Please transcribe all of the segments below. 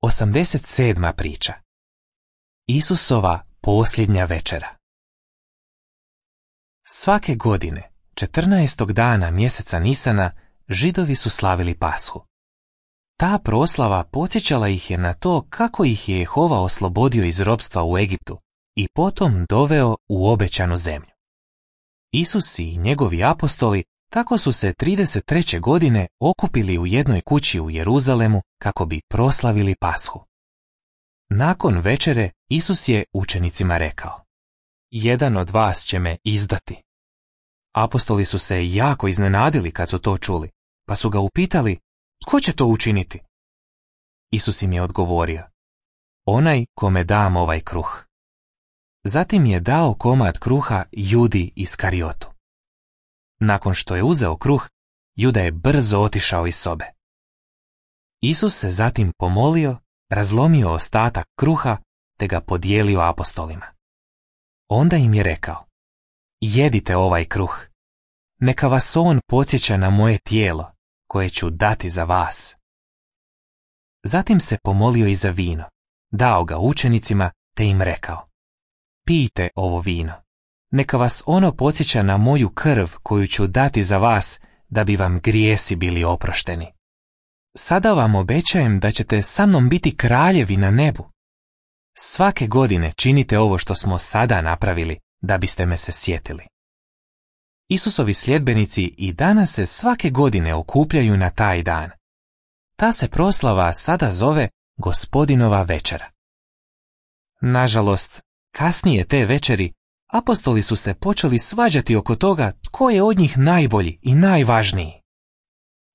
87. priča. Isusova posljednja večera. Svake godine, 14. dana mjeseca Nisana, Židovi su slavili Pashu. Ta proslava podsjećala ih je na to kako ih je Jehova oslobodio iz ropstva u Egiptu i potom doveo u obećanu zemlju. Isus i njegovi apostoli tako su se 33. godine okupili u jednoj kući u Jeruzalemu kako bi proslavili Pashu. Nakon večere Isus je učenicima rekao: "Jedan od vas će me izdati." Apostoli su se jako iznenadili kad su to čuli, pa su ga upitali: "Tko će to učiniti?" Isus im je odgovorio: "Onaj kome dam ovaj kruh." Zatim je dao komad kruha Judi Iskariotu. Nakon što je uzeo kruh, Juda je brzo otišao iz sobe. Isus se zatim pomolio, razlomio ostatak kruha te ga podijelio apostolima. Onda im je rekao: "Jedite ovaj kruh. Neka vas on podsjeća na moje tijelo, koje ću dati za vas." Zatim se pomolio i za vino, dao ga učenicima te im rekao: "Pijte ovo vino. Neka vas ono podsjeća na moju krv koju ću dati za vas, da bi vam grijesi bili oprošteni. Sada vam obećajem da ćete sa mnom biti kraljevi na nebu. Svake godine činite ovo što smo sada napravili, da biste me se sjetili." Isusovi sljedbenici i danas se svake godine okupljaju na taj dan. Ta se proslava sada zove Gospodinova večera. Nažalost, kasnije te večeri apostoli su se počeli svađati oko toga tko je od njih najbolji i najvažniji.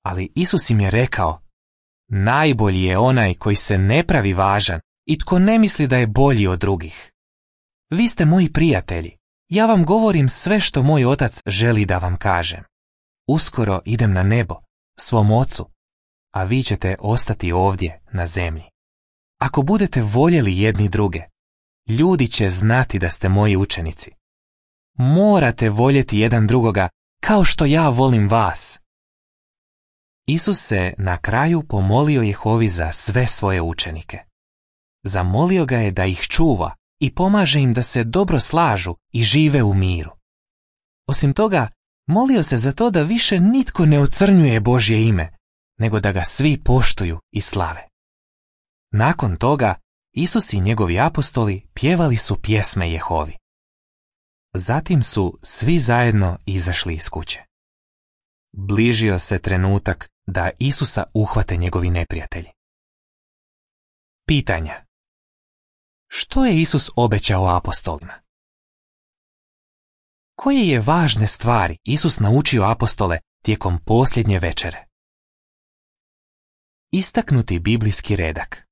Ali Isus im je rekao: "Najbolji je onaj koji se ne pravi važan i tko ne misli da je bolji od drugih. Vi ste moji prijatelji. Ja vam govorim sve što moj otac želi da vam kažem. Uskoro idem na nebo, svom ocu, a vi ćete ostati ovdje na zemlji. Ako budete voljeli jedni druge, ljudi će znati da ste moji učenici. Morate voljeti jedan drugoga kao što ja volim vas." Isus se na kraju pomolio Jehovi za sve svoje učenike. Zamolio ga je da ih čuva i pomaže im da se dobro slažu i žive u miru. Osim toga, molio se za to da više nitko ne ocrnjuje Božje ime, nego da ga svi poštuju i slave. Nakon toga, Isus i njegovi apostoli pjevali su pjesme Jehovi. Zatim su svi zajedno izašli iz kuće. Bližio se trenutak da Isusa uhvate njegovi neprijatelji. Pitanja. Što je Isus obećao apostolima? Koje je važne stvari Isus naučio apostole tijekom posljednje večere? Istaknuti biblijski redak.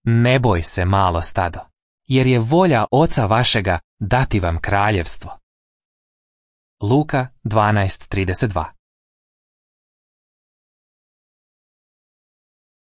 Ne boj se, malo stado, jer je volja Oca vašega dati vam kraljevstvo. Luka 12:32.